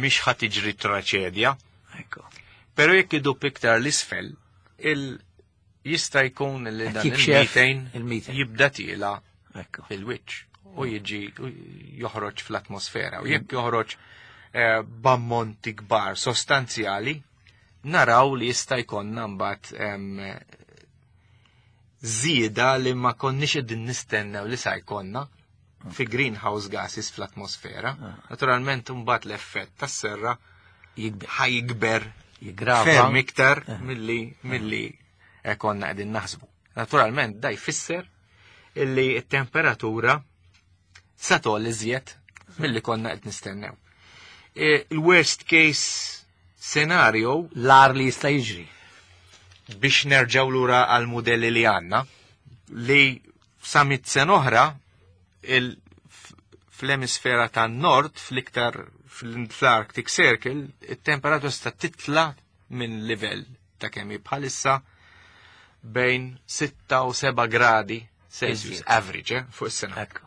mhix ħa tiġri traċedja. Ekku. Però jekk idub iktar l-isfel, jista' jkun li Qed dan jikxef il-methane il-methane. jibda tiela Ekku. fil-wiċċ u jiġi u joħroġ fl-atmosfera. U jekk joħroġ b'ammonti kbar sostanzjali, naraw li jista' jkollna mbagħad żieda li ma konniex qegħdin nistennew li sa jkollna fi greenhouse gases fl-atmosfera. Naturalment mbagħad l-effett tas-serra Jikber. ħajkber Jiggrava. ferm iktar milli konna qegħdin naħsbu. Naturalment da jfisser illi t-temperatura sa togħol iżjed milli konna qed nistennew. Il-worst case scenario L-ar li jista' jiġri. biex nerġaw lura għal modelli li għanna li sa mit sena oħra fl-emisfera tan nord fl-iktar fl-Arctic Circle it-temperatura sta titla minn livell ta' kemm hi bħalissa bejn 6 u 7 gradi Celsius Iżjed. average fuq is-sena. Ekku.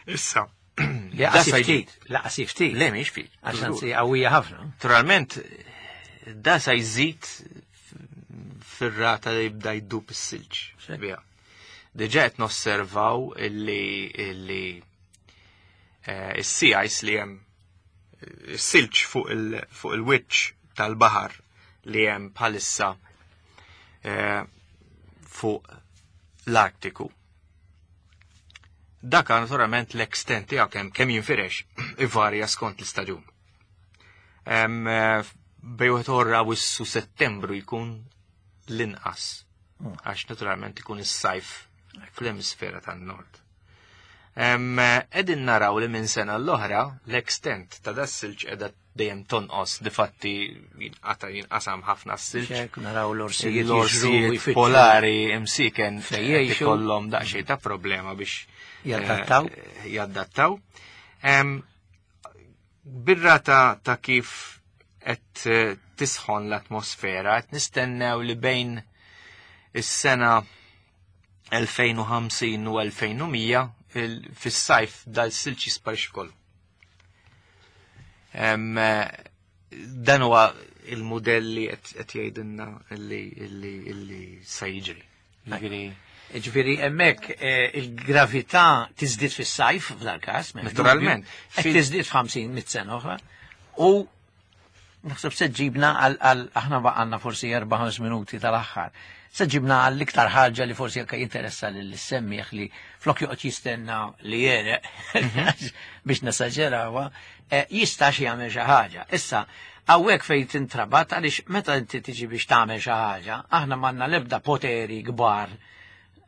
Issa. Li da qasif sa jġib- ftit, laqas ftit. Le mhix ftit. Għax anzi qawwija ħafna. Naturalment, da sa jżid fir-rata li jibda jdub is-silġ. Xek. Bija. Diġà qed nosservaw illi is-sea ice li hemm Silġ fuq il-wiċċ tal-baħar li hemm bħalissa fuq l-Artiku. Dak naturalment l-extent tiegħu kemm jinfirex ivarja skont l-istaġun. Bejn wieħed oħra Awwissu Settembru jkun l-inqas. Għax naturalment ikun is-sajf fl-emisfera tan-nord. Qegħdin naraw li minn sena l-oħra l-extent ta' das-silġ qiegħda dejjem tonqos, difatti jinqata' jinqasam ħafna s-silġ. Hekk naraw l-orsijiet L-orsijiet jiġru jfittxu polari imsiken fejn jgħixu. ikollhom daqsxejn ta' problema biex Jaddattaw. jaddattaw. Birrata ta' kif qed tisħon l-atmosfera, qed nistennew li bejn is-sena 2050 u 2100 fis-sajf dal-silġ jisparixxi kollu. Dan huwa il-mudell li qed jgħidilna illi se jiġri. Jiġifieri Ġifieri hemmhekk il-gravità tiżdied fis-sajf f'dal każ, m'hemmx dubju. Naturalment. Qed tiżdied f'ħamsin mit sena oħra u naħseb se ġibna għal aħna baqgħalna forsi 4-5 minuti tal-aħħar. Se ġibna għal iktar ħaġa li forsi anke jinteressa lil semmieħ li flok joqgħod jistenna li jereq biex nesaġerawha, jista' xi jagħmel xi ħaġa. Issa, hawnhekk fejn tintrabat għaliex meta inti tiġi biex tagħmel xi ħaġa, aħna m'għandna l-ebda poteri kbar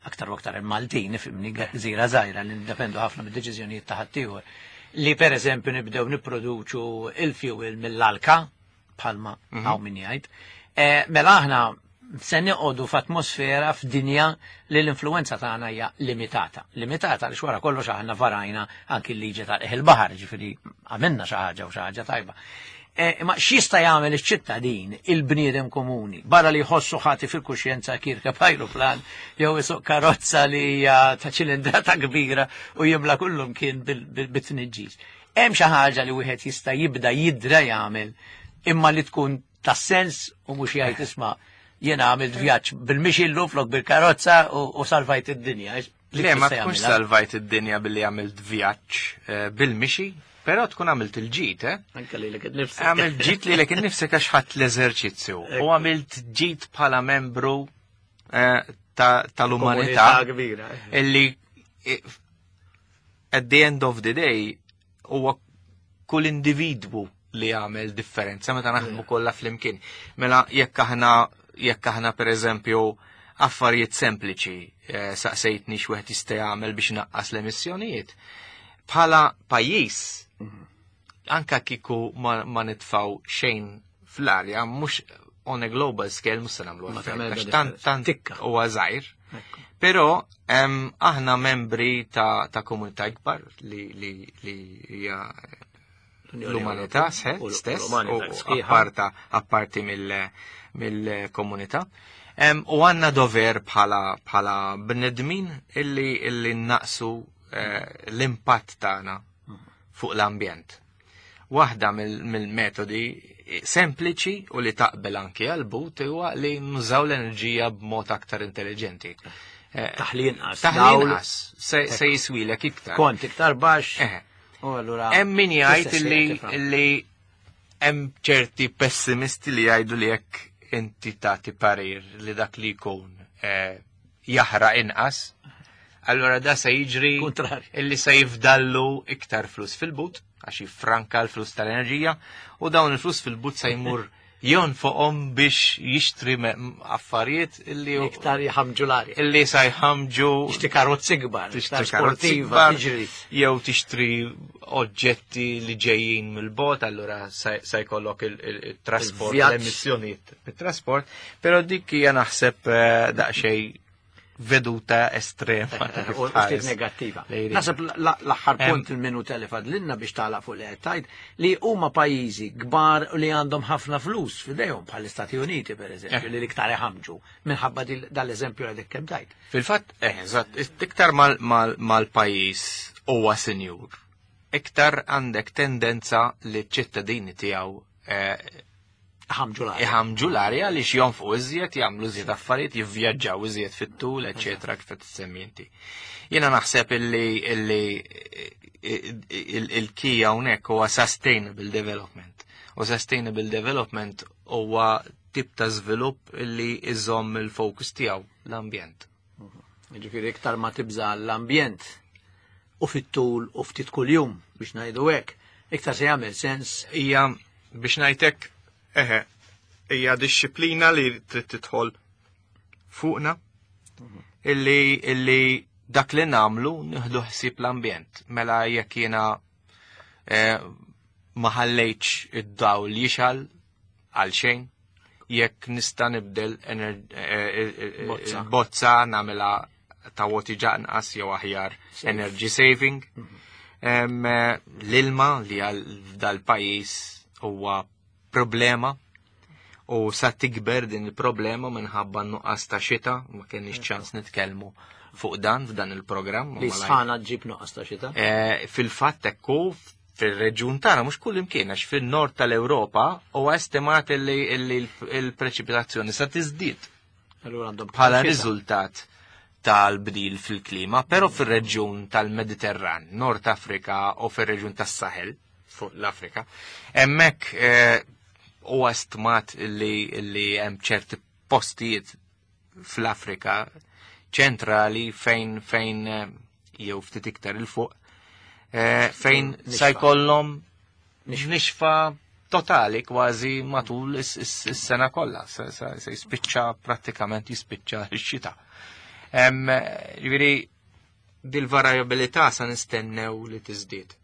aktar u aktar il-Maltin, nifhimni, gżira żgħira li niddependu ħafna mid-deċiżjonijiet ta' ħaddieħor. Li per eżempju nibdew nipproduċu il-fuel mill-alka, bħalma hawn min jgħid. Mela aħna se noqogħdu f'atmosfera f'dinja li l-influenza tagħna hija limitata. Limitata għaliex wara kollox aħna varajna anki l-liġi tal-baħar, ġifieri għamilna xi ħaġa u xi ħaġa tajba. Ma x'jista' jagħmel iċ-ċittadin, il-bniedem komuni, barra li jħossu ħati fil-kuxjenza jirkeb ajruplan jew isuq karozza li hija ta' ċilindrata kbira u jimla kullum kien bit-tniġġis. Hemm xi ħaġa li wieħed jista' jibda jidra jagħmel imma li tkun ta' sens u mhux jgħid isma' jiena għamilt vjaġġ bil-mixi llum flok bil-karozza u salvajt id-dinja. Li Le, ma tista' tkunx jagħmilha. salvajt id-dinja billi għamilt vjaġġ bil-mixi, però tkun għamilt il-ġid, eh? Anke lilek innifsek. Għamilt ġid lilek innifsek għax ħadd l-eżerċizzju. U għamilt ġid bħala membru tal-umanità Komunità kbira. Illi at the end of the day huwa kull individwu li jagħmel differenza meta naħdmu kollha flimkien. Mela jekk aħna per eżempju affarijiet sempliċi saqsejtni x'wieħed jista' jagħmel biex naqqas l-emissjonijiet. Bħala pajjiż, anka kieku ma nitfaw xejn fl-arja, mhux on a global scale mhux se nagħmlu Ma effett, tagħmel għax differenza. tant Tikka. huwa żgħir. Ekku. Però aħna membri ta' komunità ikbar li hija L-Unjoni l-umanità Ewropea. U stess, l-umanità u sħiħa. apparti mill-komunità. U għandna dover bħala bnedmin illi naqsu l-impatt tagħna fuq l-ambjent. Waħda mill-metodi sempliċi u li taqbel anki għal-but huwa li nużaw l-enerġija b'mod aktar intelligenti. Taħli inqas, Taħli dawl. inqas, se jiswilek iktar. Kont iktar baxx. U allura Hemm min jgħid tista' ssir tifhem. illi hemm ċerti pessimisti li jgħidu li jekk inti tagħti parir li dak li jkun jaħraq inqas, allura da se jiġri Kontrarju. illi se jifdallu iktar flus fil-but, għax jiffranka l-flus tal-enerġija, u dawn il-flus fil-but se jmur jonfoqhom biex jixtri affarijiet illi iktar jħamġu l-arja. Illi sa jħamġu Tixtri karozzi kbar, tixtri iktar karozzi sportiva, kbar, tiġri. jew tixtri oġġetti li ġejjin mill-bot, allura sa jkollok il-trasport, Il-vjaġġ. l-emissjonijiet bit-trasport, però dik hija naħseb daqsxejn veduta estrema ta' kif U ftit tħares negattiva. lejn id. Naħseb l-aħħar punt il-minuta li fadlinna biex tagħlaq fuq li qed tgħid li huma pajjiżi kbar u li għandhom ħafna flus f'idejhom bħall-Istati Uniti pereżempju, li l-iktar iħamġu minħabba dal-eżempju li għadek kemm tajt. Fil-fatt, eżatt, iktar mal-pajjiż huwa sinjur, iktar għandek tendenza li ċ-ċittadini tiegħu Iħammġu l-arja. Iħammġu l-arja għaliex jonfqu iżjed, jagħmlu iżjed affarijiet, jivvjaġġaw iżjed fit-tul, eċetera, kif qed tissemmi inti. Jiena naħseb illi illi il-key hawnhekk huwa sustainable development. U sustainable development huwa tip ta' żvilupp illi iżomm il-fokus tiegħu l-ambjent. Ġifieri iktar ma tibża l-ambjent u fit-tul u ftit kuljum biex ngħidu hekk, iktar se jagħmel sens. Hija biex ngħidlek eħe, hija dixxiplina li trid tidħol fuqna illi illi dak li nagħmlu nieħdu ħsieb l-ambjent. Mela jekk jiena eh, ma ħallejtx id-dawl jixgħel għal xejn, jekk nista' nibdel eh, eh, bozza nagħmilha ta' woti ġanqas jew aħjar energy saving. Mhm. L-ilma li għal dal-pajjiż huwa problema u sa tikber din il-problema minħabba nuqqas ta' xita, ma kenniex ċans nitkellmu fuq dan f'dan il-programm. Li sħana ġib nuqqas ta' xita? Eh, fil-fatt ekku fil-reġjun tagħna mhux kull imkien għax fin-nord tal-Ewropa huwa estimat li l-preċipitazzjoni sa tiżdied. Bħala riżultat tal-bdil fil-klima, però fil-reġjun tal-Mediterran, Nord Afrika u fil-reġjun tas-Sahel, fuq l-Afrika, hemmhekk eh, huwa stmat li hemm ċerti postijiet fl-Afrika ċentrali fejn fejn eh, jew ftit iktar il fuq eh, fejn sa jkollhom nixfa totali kważi matul is-sena kollha, se jispiċċa prattikament jispiċċa x-xita. Ġifieri dil-varjabilità sa nistennew li tiżdied.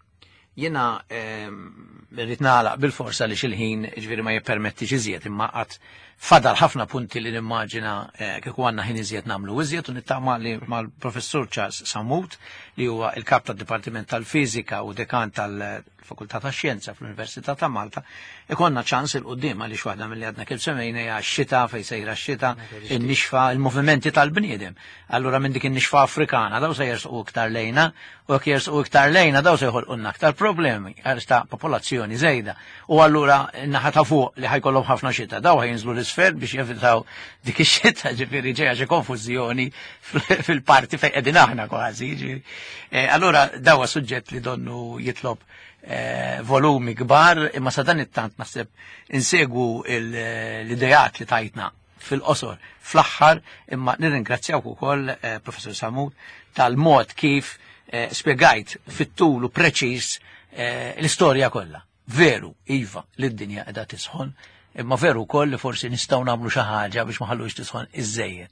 Jiena rrid nagħlaq bil-forsa li xil-ħin ġifieri ma jippermettix iżjed imma qatt fadal ħafna punti li nimmaġina eh, kieku għandna ħin iżjed nagħmlu iżjed u nittama li mal-professur Charles Samut li huwa il-kap tad-Dipartiment tal-Fiżika u dekan tal-Fakultà tax-Xjenza fl-Università ta' Malta ikonna ċans il qudiem għaliex waħda milli għadna kif semmejna hija x-xita fejn sejra x-xita, in-nixfa, il-movimenti tal-bniedem. Allura minn dik in-nixfa Afrikana daw se jersqu iktar lejna u jekk jersqu iktar lejna daw se jħolqulna aktar problemi għaliex ta' popolazzjoni żejda. U allura naħa ta' fuq li ħajkollhom ħafna xita daw ħajinżlu l-isfel biex jevitaw dik ix-xita ġifieri ġejja xi konfużjoni fil-parti fejn qegħdin aħna kważi. Eh, allura dawa suġġett li donnu jitlob Eh, volumi kbar, imma sa dan it-tant naħseb insegwu l-idejat li tajtna fil-qosor fl-aħħar, imma nirringrazzjawk ukoll eh, Professor Samut tal-mod kif eh, spjegajt fit-tul u preċiż l-istorja kollha. Veru, iva, li d-dinja qiegħda tisħon, imma veru wkoll li forsi nistgħu nagħmlu xi ħaġa biex ma ħallux tisħon iżejjed.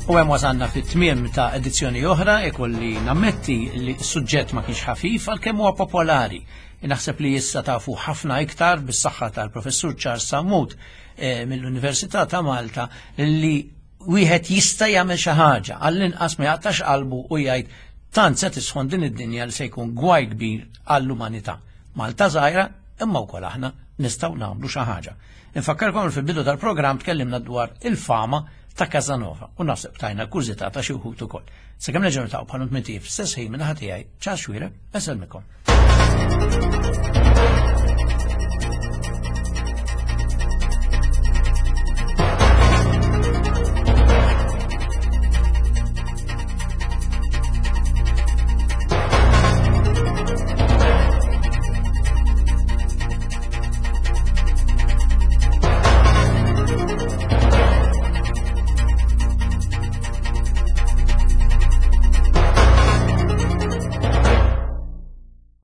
U hemm wasalna fit-tmiem ta' edizzjoni oħra, ikolli nammetti li s-suġġett ma kienx ħafif għalkemm huwa popolari. Naħseb li issa tafu ħafna iktar bis-saħħa tal-Professur Charles Sammut eh, mill-Università ta' Malta li wieħed jista' jagħmel xi ħaġa, għall-inqas ma jaqtax qalbu u jgħid tant se tisħon din id-dinja li se jkun gwaj kbir għall-umanità. Malta żgħira imma wkoll aħna nistgħu nagħmlu xi ħaġa. Infakkarkom fil-bidu tal-programm tkellimna dwar il-fama ta' Casanova u naħseb tajna kurżità ta' xi wħud ukoll. Sakemm nerġgħu niltaqgħu bħal minn f'stess ħin minn ħadd tiegħi, ċar xwira, eselmikom.